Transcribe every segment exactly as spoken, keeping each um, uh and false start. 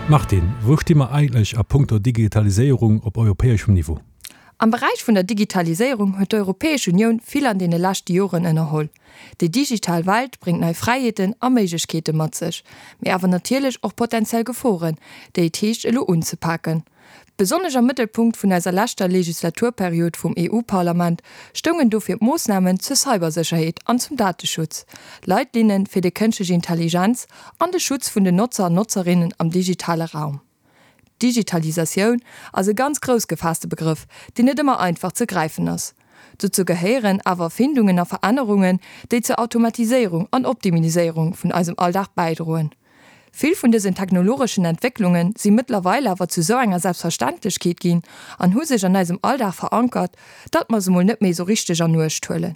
Martine, wou sti mer eigentlech a punkto Digitaliséierung op europäeschem Niveau? Am Beräich vun der Digitaliséierung huet d'Europäesch Unioun vill an deene leschte Joren ënnerholl. Déi digital Welt bréngt nei Fräiheeten a Méiglechkeete mat sech, mee awer natierlech och potenziell Geforen, déi et heescht elo unzepaken. Besonnesch am Mëttelpunkt vun eiser leschter Legislaturperiod vum EU-Parlament stoungen dofir d'Moossnamen zur Cybersécherheet an zum Dateschutz, Leitlinne fir déi kënschtlech Intelligenz an de Schutz vun den Notzer an Notzerinnen am digitale Raum. Digitalisatioun ass e ganz grouss gefaasste Begrëff, deen net ëmmer einfach ze gräifen ass. Dozou gehéieren awer Erfindungen a Verännerungen, déi zur Automatiséierung an Optimiliséierung vun eisem Alldag bäidroen. Vill vun dësen technologeschen Entwécklunge si mëttlerweil awer zu sou enger Selbstverständlechkeet ginn an hu sech an eisem Alldag verankert, datt mer se mol net méi sou richteg an Uecht huelen.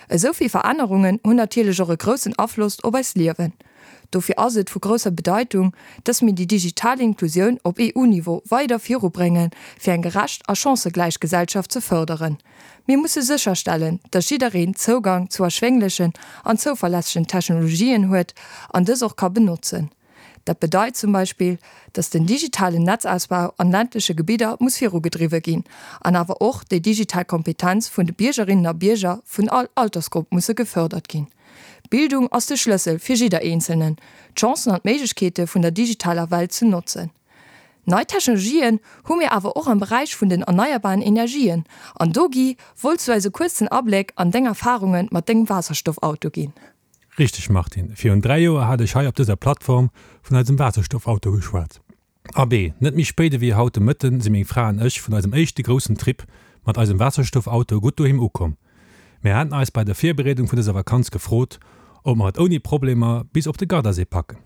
Esou vill Verännerungen hunn natierlech och e groussen Afloss op eist Liewen. Dofir ass et vu grousser Bedeitung, dass mir déi digital Inklusioun op EU-Niveau weider virubréngen, fir eng gerecht a chancëgläich Gesellschaft ze fërderen. Mir musse sécherstellen, dass jiddereen Zougang zu erschwénglechen an zouverlässegen Technologien huet an dës och ka benotzen. Dat bedeit zum Beispill, dass den digitalen Netzausbau an ländleche Gebidder muss virugedriwwe ginn an awer och déi digital Kompetenz vun de Biergerinnen a Bierger vun all Altersgrupp musse gefërdert ginn. Bildung ass de Schlëssel fir jidder Eenzelnen, d'Chancen an d'Méiglechkeete vun der digitaler Welt ze notzen. Nei Technologien hu mir awer och am Beräich vun den erneierbaren Energien. An do, Guy, wollts du eis e kuerzen Abléck an deng Erfarunge mat dengem Waasserstoffauto ginn. Richteg Martine, virun dräi Joer hat ech hei op dëser Plattform vun eisem Waasserstoffauto geschwat. Abee, net méi spéit ewéi haut de Mëtten si meng Fra an ech vun eisem éischte groussen Trip mat eisem Waasserstoffauto gutt doheem ukomm. Mir haten eis bei der Virbereedung vun dëser Vakanz gefrot, ob mer et ouni Problemer bis op de Gardasee packen.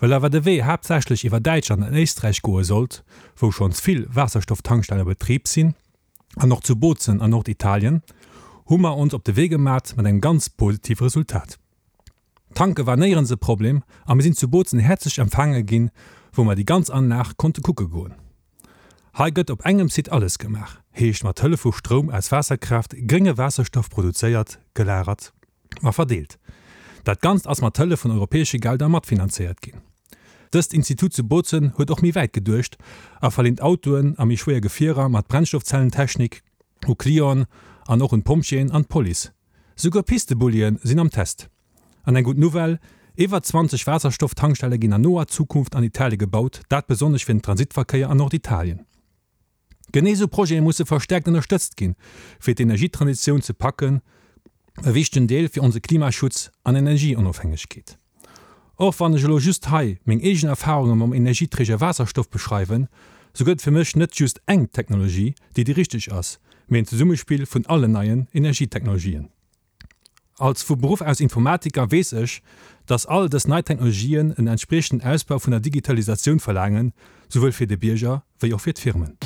Well awer de Wee haaptsächlech iwwer Däitschland an Éisträich goe sollt, wou schonns vill Waasserstofftankstellen a Betrib sinn, an och zu Bozen an Norditalien, hu mer ons op de Wee gemat mat engem ganz positive Resultat. Tanke war néierens e Problem a mir sinn zu Bozen häerzlech empfaange ginn, wou mer déi ganz Anlag konnte kucke goen. Hei gëtt op engem Site alles gemaach, heescht mat Hëllef vu Stroum aus Waasserkraaft grénge Waasserstoff produzéiert, gelagert a verdeelt. Dat Ganzt ass mat Hëllef vun europäesche Gelder matfinanzéiert ginn. Dëst Institut zu Bozen huet och méi wäit geduecht a verleent Autoen a méi schwéier Gefierer mat Brennstoffzellentechnik u Clienten an och un d'Pompjeeën an d'Police. Souguer Pistebullien sinn am Test. An eng gutt Nouvelle, Iwwer zwanzeg Waasserstofftankstelle ginn an noer Zukunft an Italie gebaut, dat besonnesch fir den Transitverkéier an Norditalien. Genee esou Projete musse verstäerkt ënnerstëtzt ginn, fir d'Energietransitioun ze packen, e wichtegen Deel fir onse Klimaschutz an Energieonofhängegkeet. Och wann ech elo just hei meng eegen Erfarunge mam Energieträger Waasserstoff beschreiwen, sou gëtt et fir mech net just eng Technologie, déi déi richteg ass, mee en Zesummespill vun allen neien Energietechnologien. Als vu Beruff aus Informatiker weess ech, dass all dës nei Technologien en entspriechenden Ausbau vun der Digitalisatioun verlaangen, souwuel fir de Bierger wéi och fir d'Firmen.